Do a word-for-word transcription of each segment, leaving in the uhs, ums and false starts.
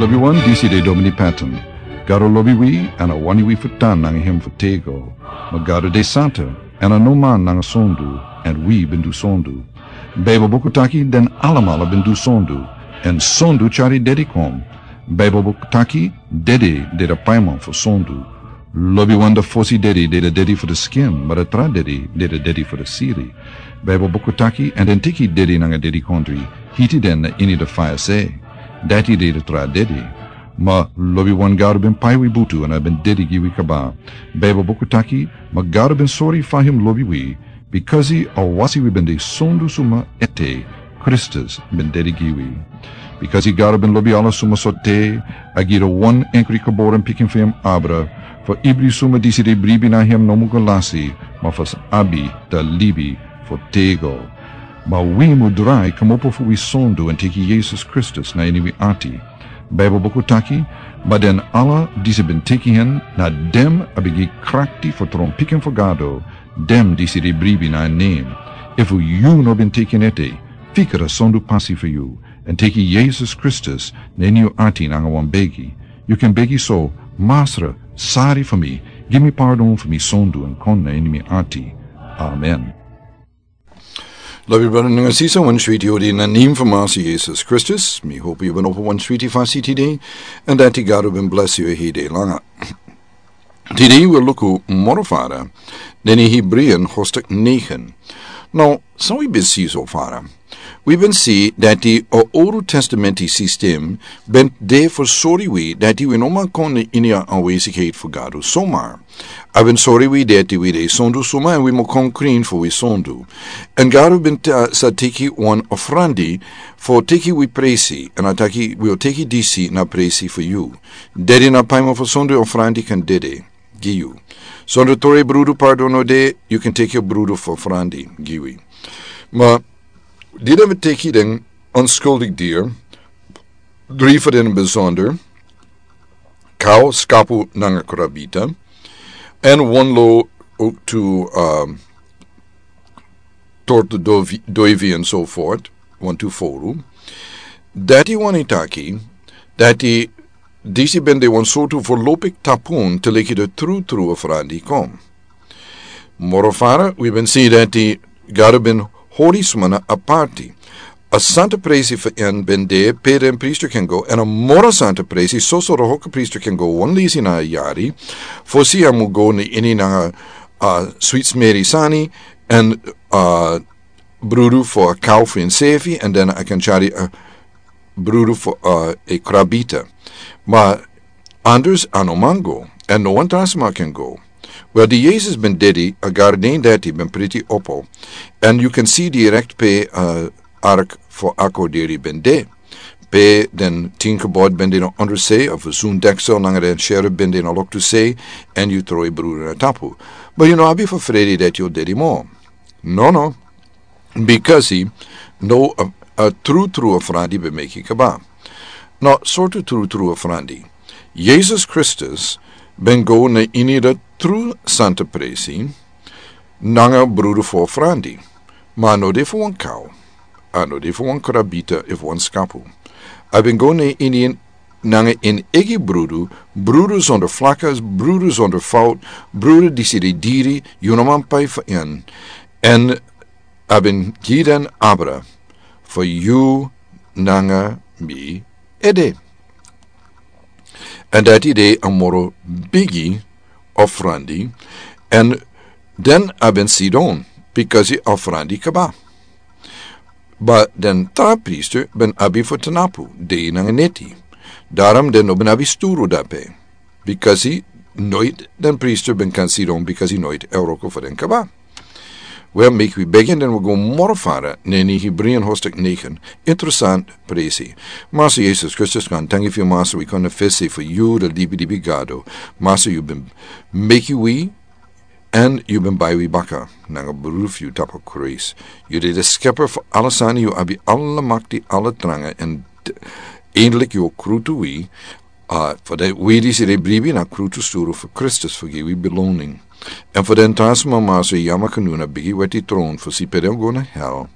Lobi wan, disi de Domini Patton. Gado lobi wi, èn a wani wi fu tan nanga hem fu tego. Ma Gado de santa, èn a no man nanga sondu, èn wi ben du sondu. Baibel buku taki den alamala ben du sondu, èn sondu tyari dedi kon. Baibel buku taki dedi de a paiman fu sondu. Lobi wan, a fosi dedi de a dedi fu a skin, ma a tra dedi de a dedi fu a siri. Baibel buku taki, èn den teki dedi nanga dedikondri, hiti den na ini a faya se. Dati de a tra dedi. Ma lobi wan, Gado ben pai wi butu èn a ben dedi gi wi kaba. Baibel buku taki, ma Gado ben sori fa hem lobi wi, bikasi a wasi wi ben de sondu suma ete, Kristus ben dedi gi wi. Bikasi Gado ben lobi ala suma sortu, a gi a wan enkri geboren pikin fu hem abra, fu ibri suma disi de bribi na hem no mu go lasi, ma fu abi a libi fu tego. Ma wi mu drai kmopo fu wi sondu èn teki Yesus Kristus na ini wi ati. Baibel buku taki, ma den ala disi ben teki hen, na den a ben gi krakti fu tron pikin fu Gado, den disi de bribi na en nen. Efu yu no ben teki en ete, fika a sondu pasi fu yu, èn teki Yesus Kristus na ini yu ati nanga wan begi. Yu kan begi so: Masra, sari fu mi, gi mi pardon fu mi sondu èn kon na ini mi ati. Amen. Lobi brada nanga sisa, wan switi odi na nen fu Masi Yesus Kristus. Mi hopi yu ben opo wan switi fasi tide, èn dati Gado ben blesi yu hede langa. Tide wi luku moro fara na ini Hebreeën hoofdstuk negen. Now, san wi ben si so fara? Wi ben si dati a Old Testament system ben de fu sori wi dati wi no man kon na ini a aanwezigheid fu Gado somar. A ben sori wi dati wi de sondu suma èn wi mu kon krin fu wi sondu. Èn Gado ben ta-, sa teki wan ofrandi fu teki wi presi, èn a taki wi o teki disi na presi fu yu. Dedi na paiman fu sondu, ofrandi kan dede gi yu. Sondu toro brudu pardon no de, yu kan teki brudu fu ofrandi gi wi. Ma di den ben teki den onskuldig dier, dri fu den besonder, kau, skapu nanga krabita, èn wan lo, ook tu, um, tortu dovi, doivi en so voort, wantu fowru. Dati wani taki dati disi ben de wan sortu voorlopig tapun te leki a trutru ofrandi kon. Moro fara, wi ben si dati Gado ben hori suma na aparti. A santa presi fu en ben de pe den priester kan go, èn a moro santa presi, soso a hoge priester kan go wan leisi na a yari, fosi a mu go na ini nanga a sweet smeri sani, èn a brudu fu a kau fu ensefi, èn den a kan tyari a brudu fu a krabita. Ma anders a no man go, èn no wan tra sma kan go. Wel, di Yesus ben dedi, a garden dati ben priti opo, èn yu kan si direkt pe a ark fu akorderi ben de. Pe den tin gebod ben de na onderse, a verzoendeksel nanga den sherif ben de na loktu se, èn yu tron brudu na tapu. But yu no abi fu fredi dati yu o dedi moro. No, no. Bikasi now a, a trutru ofrandi ben meki kaba. Now, sortu trutru ofrandi? Yesus Kristus ben go na ini a tru santa presi nanga brudu fu ofrandi. Ma a no de fu wan kau, a no de fu wan krabita efu wan skapu. A ben go na ini nanga en eigi brudu, brudu zonder vlakken, brudu zonder fout, brudu disi de diri, yu no man pai fu en. Èn a ben gi den abra fu yu nanga mi ede. Èn dati de a moro bigi ofrandi, èn den a ben sidon, bikasi ofrandi kaba. But den tra priester ben abi fu tnapu, dei nanga neti. Daarom den no ben abi sturu dape. Bikasi noit den priester ben kan sidon, bikasi noit a wroko fu den kaba. Wel, meki wi begi den wi go moro fara na ini Hebreeën hoofdstuk negen. Interessant presi. Masa Yesus Kristus, danki fu yu, Masa, wi kon na fesi fu yu, a libi libi Gado. Masa, yu ben meki wi, èn yu ben bai wi baka nanga brudu fu yu tapu Krais. Yu de a skepper fu ala sani, yu abi ala makti, ala tranga, èn d-, eindelijk yu o krutu wi, a, fu dati wi disi de bribi na krutu sturu fu Kristus fu gi wi beloning. Èn fu den tra sma, Masa, yu yama kan dun a bigi weti tron fu si pe den o go na hel.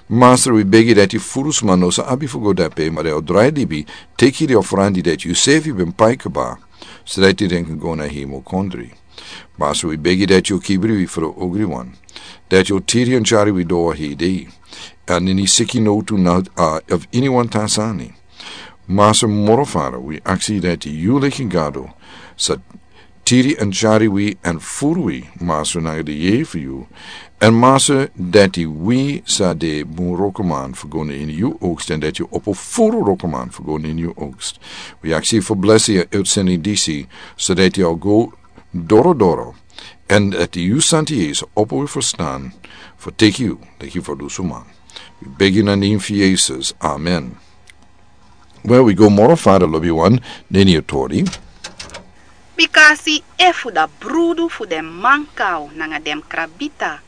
Masra, wi begi dati furu sma no sa abi fu go dape, ma den o drai libi, teki den ofrandi dati yu sefi ben pai kaba, so dati den kan go na hemel kondri. Masra, wi begi dati yu kibri wi fu den ogriwan, dati yu tiri èn tyari wi doro hei dei, èn ini siki no tu na a of iniwan tan sani. Masra, moro Fada, wi aksi dati yu leki Gado sa tiri èn tyari wi èn furu wi, Masra, nanga den yeye fu yu. Èn Masra, dati wi sa de bun wrokoman fu go na ini yu oogst, èn dati yu opo furu wrokoman fu go na ini yu oogst. Wi aksi fu blesi a utsending disi, so dati a o go doro doro, èn dati yu Santi Yeye sa opo wi ferstan fu teki yu leki ferdusuman. Wi begi na nen fu Yesus. Amen. Wel, wi go moro fara, lobiwan, na ini a tori. Bikasi efu da brudu fu den mankaw nanga den krabita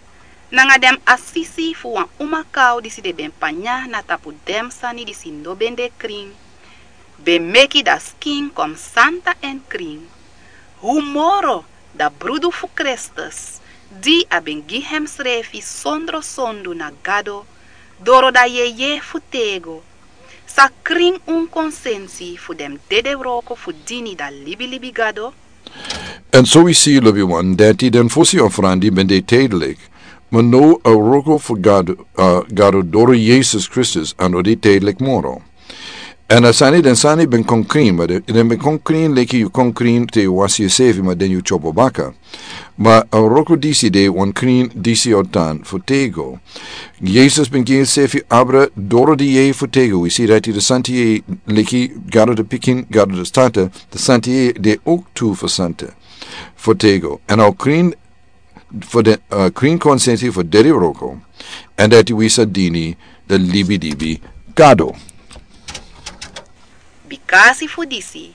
nanga den asisi fu wan umakaw disi den ben panya na tapu den sani disi no ben de krin, ben meki da skin kon santa èn krin, hu moro da brudu fu Kristus, di a ben gi hemsrefi sondro sondu na Gado, doro da yeye fu tego, sa krin un konsensi fu den dede wroko fu dini da libilibi Gado? Èn so wi si, lobiwan, dati den fosi ofrandi ben de tijdelijk, ma now a wroko fu Gado, a, Gado doro Yesus Kristus a no de tijdelijk moro. Èn a sani, den sani ben kon krin, ma den, den ben kon krin leki yu kon krin te yu wasi yusefi, ma den yu tyopo baka. Ma a wroko disi de wan krin disi o tan fu tego. Yesus ben gi ensefi abra doro di yeye fu tego. Wi si dati den Santi Yeye, leki Gado den Pikin, Gado den Tata, den Santi Yeye de ook tu fu santa, fu tego. Èn a o krin fu den, a, krin konsensi fu dede wroko, èn dati wi sa dini da libilibi Gado. Bikasi fu disi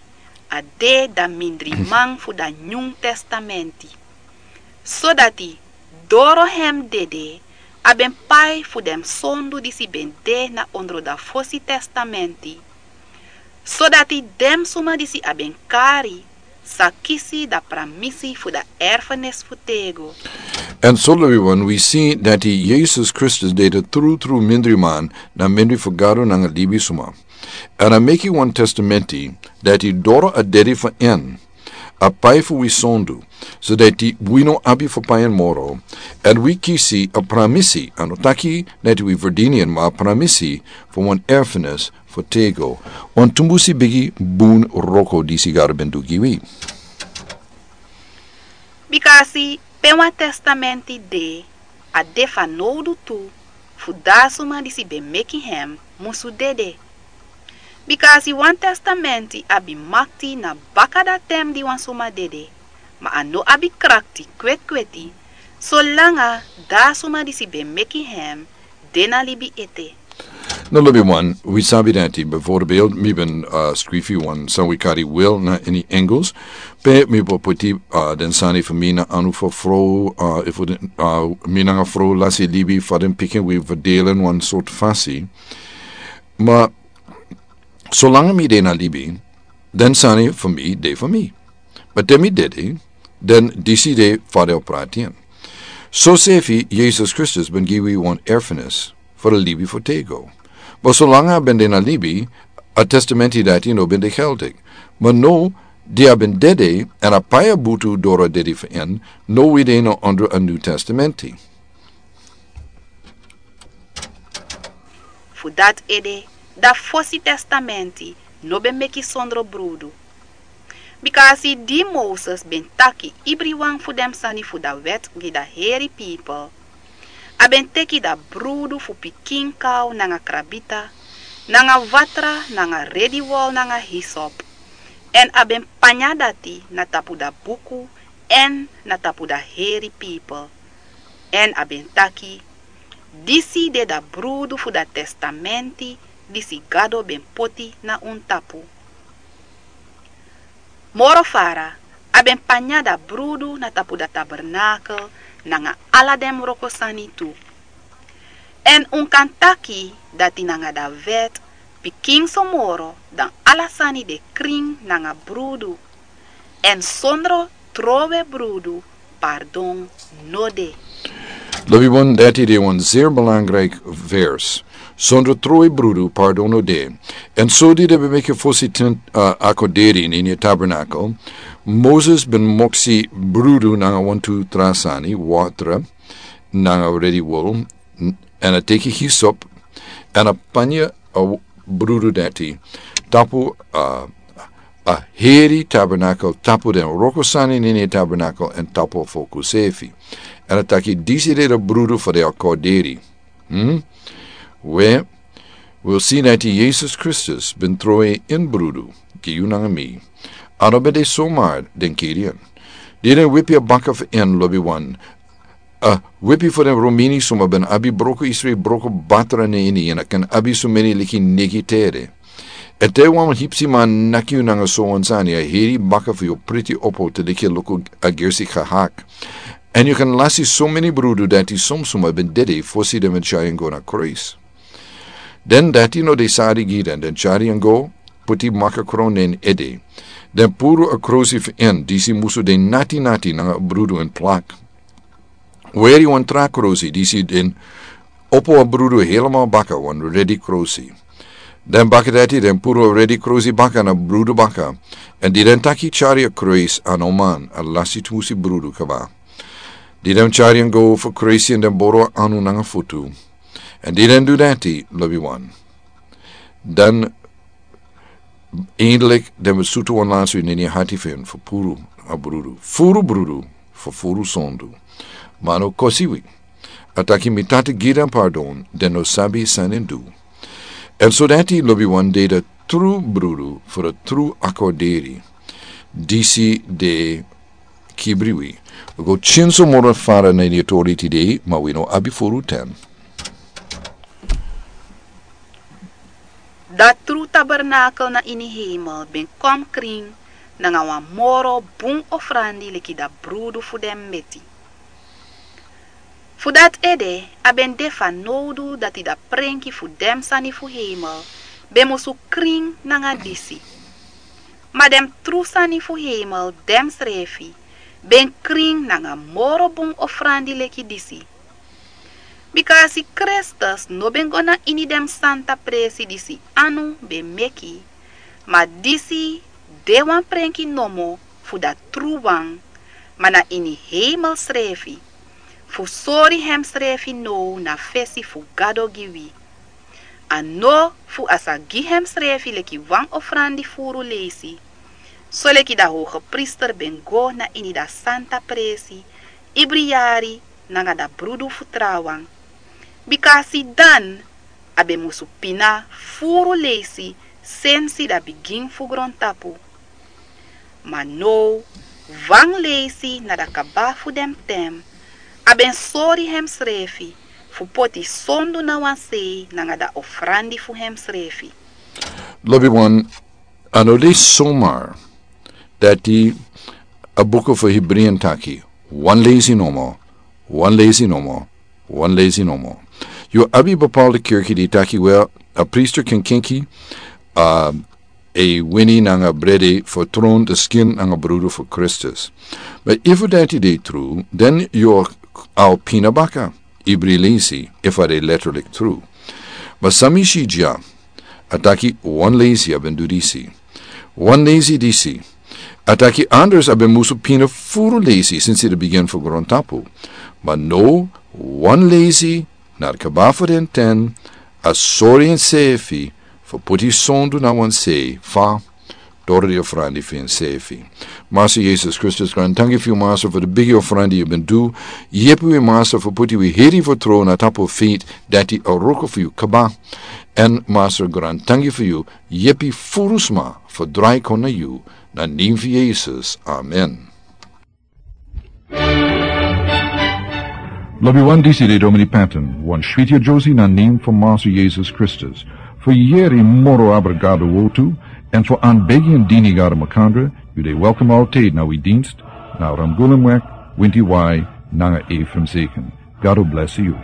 a de da mindriman fu da Nyun Testamenti, sodati doro hem dede a ben pai fu den sondu disi ben de na ondro da Fosi Testamenti, sodati den suma disi a ben kari sa kisi da pramisi fu da erfenis fu tego. Èn so, lobiwan, wi si dati Yesus Kristus de da trutru mindriman na mindri fu Gado nanga libisuma. Èn a meki wan testamenti dati doro a dede fu en a pai fu wi sondu, sodati wi no abi fu pai en moro, èn wi kisi a pramisi, a no taki dati wi ferdini en, ma a pramisi fu wan erfenis fu tego. Wan tumbusi bigi bun wroko disi Gado ben du gi wi. Bikasi pe wan testamenti de, a de fanowdu tu fu da suma disi ben meki hem musu dede. Bikasi wan testamenti abi makti na baka da ten di wan suma dede, ma a no abi krakti kwetkweti solanga da suma disi ben meki hem de na libi ete. No, lobiwan, wi sabi dati, bijvoorbeeld, mi ben, a, skrifi wan san wi kari wil na ini Engels, pe mi bo poti, a, den sani fu mi na anu fu frow, a, efu den, a, mi nanga frow lasi libi, fa den pikin wi verdelen wan sort fasi. Ma solanga mi de na libi, den sani fu mi de fu mi. Ma te mi dede, den disi de fa den o prati en. Sosefi Yesus Kristus ben gi wi wan erfenis fu a libi fu tego. Ma solanga a ben de na libi, a testamenti dati no ben de geldig. Ma now di a ben dede, èn a pai a butu doro a dede fu en, now wi de na ondro a New Testamenti. Fu dati ede, da Fosi Testamenti no ben meki sondro brudu. Bikasi di Moses ben taki ibriwan fu den sani fu da wet gi da heri pipel, a ben teki da brudu fu pikin kaw nanga krabita, nanga watra, nanga rediwol, nanga hisop, èn a ben panya dati na tapu da buku èn na tapu da heri pipel. Èn a ben taki: Disi de da brudu fu da testamenti disi Gado ben poti na un tapu. Moro fara, a ben panya da brudu na tapu da tabernakel nanga ala den wroko sani tu. Èn un kan taki dati nanga da wet pikin so moro dan ala sani de krin nanga brudu. Èn sondro trowe brudu pardon no de. Lobi wan, dati de wan zeer belangrijk vers. Sondro troi brudu pardon no de. En so di de ben meki fosi ten, uh, akoderi na ini a tabernakel. Moses ben moksi brudu nanga wantu tra sani, watra, nanga redi wol, n-, en a teki hisop, en a panya a w-, brudu dati tapu, uh, a heri tabernakel, tapu den wroko sani na ini a tabernakel, en tapu a foku srefi. En a taki disi de a brudu fu den akoderi. Hmm? We, wi o si dati Yesus Kristus ben troi ini brudu gi yu nanga mi. A no ben de somar den kiri en. Di den wipi a baka fu en, lobi wan, a wipi fu den Romini suma ben abi broko isri broko batra na ini en, a kan abi sumeni leki negi tere. Èn te wan hipsiman naki yu nanga so wan sani, a heri baka fu yu priti opo te leki luku a gersi gehak. Èn yu kan lasi sumeni brudu dati suma suma ben dede fosi den ben tyari en go na kruis. Den dati no de sari gi den, den tyari en go, puti makakron na en ede. Den puru a krusi fu en, disi musu de nati nati nanga brudu en plak. Weri wan tra krusi, disi den opo a brudu helemaal baka, wan redi krusi. Den baka dati den puru a redi krusi baka na brudu baka. Èn di den taki tyari a kruis a no man, a lasi tusi brudu kaba. Di den tyari en go fu krusi èn den boro anu nanga futu. Èn di den du dati, lobi wan. Dan eindelijk den ben sutu wan lansu na ini a hati fu en fu puru a brudu. Furu brudu fu furu sondu. Ma a no kosi wi. A taki mi Tata gi den pardon, den no sabi san den du. Èn so dati lobi wan de a tru brudu fu a tru akorderi. Disi de kibri wi. Wi go tyenso moro fara na ini a tori tide, ma wi no abi furu ten. A tru tabernakel na ini hemel ben kon krin nanga wan moro bun ofrandi leki a brudu fu den meti. Fu dati ede, a ben de fanowdu dati a prenki fu den sani fu hemel ben musu krin nanga disi. Ma den tru sani fu hemel densrefi ben krin nanga moro bun ofrandi leki disi. Bika a si Kristus no ben go na ini den santa presi disi anu ben meki, ma disi de wan prenki nomo fu a tru wan, ma na ini hemel srefi, fu sori hemsrefi now na fesi fu Gado gi wi. A no fu a sa gi hemsrefi leki wan ofrandi furu leisi, soleki a hogepriester ben go na ini a santa presi ibri yari nanga a brudu fu trawan. Bika a si dan a ben musu pina furu leisi sensi a bigin fu grontapu. Ma now, wan leisi na a kaba fu den ten, a ben sori hemsrefi fu poti sondu na wan sei nanga a ofrandi fu hemsrefi. Lobi wan, a no de somar dati a buku fu Hebreeën taki, wan leisi nomo, wan leisi nomo, wan leisi nomo. Yu abi bepaalde kerki di taki, wel, a priester kan kenki, uh, a wini nanga bredi fu tron de skin nanga brudu fu Kristus. Ma efu dati de tru, dan yu o pina baka ibri leisi, efu a de letterlijk tru. Ma san mi si dya, a taki wan leisi a ben du disi. Wan leisi disi. A taki anders a ben musu pina furu leisi sensi a bigin fu grontapu. Ma now, wan leisi na a kaba fu den ten, a sori ensefi fu poti sondu na wan sei, fa doro a ofrandi fu ensefi. Master Yesus Kristus, grantangi fu yu, Master, fu a bigi ofrandi yu ben du. Yepi wi, Master, fu poti wi heri fu tron na tapu feit dati a wroko fu yu kaba. Èn Master, grantangi fu yu, yepi furu sma fu drai kon na yu, na nen fu Yesus. Amen. Lobi wan, disi de Domini Patton, wan switi a Josie na nen fu Master Yesus Kristus. Fu yeri moro abra Gado wortu, èn fu anbegi èn dini Gado makandra, yu de welkom altijd na wi dienst, na Ramgulumweg, winti wai, nanga Ephraim Zeken. Gado bless yu.